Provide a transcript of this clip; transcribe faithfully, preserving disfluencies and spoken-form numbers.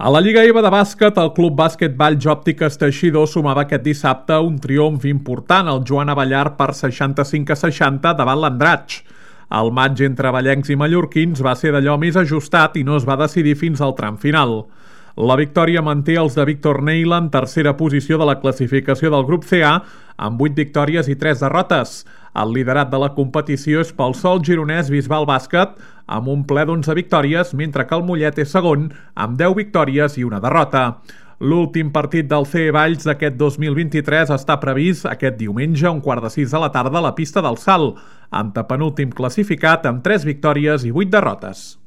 A la Lliga EVA de bàsquet, el Club Bàsquet Valls Òptiques Teixidor sumava aquest dissabte un triomf important al Joan Abellar per seixanta-cinc a seixanta davant l'Andratx. El maig entre vallencs i mallorquins va ser d'allò més ajustat i no es va decidir fins al tram final. La victòria manté els de Víctor Neila en tercera posició de la classificació del grup C A amb vuit victòries i tres derrotes. El liderat de la competició és pel Sol Gironès Bisbal Bàsquet amb un ple d'onze victòries, mentre que el Mollet és segon amb deu victòries i una derrota. L'últim partit del C E Valls d'aquest dos mil vint-i-tres està previst aquest diumenge a un quart de sis de la tarda a la pista del Salt, antepenúltim classificat amb tres victòries i vuit derrotes.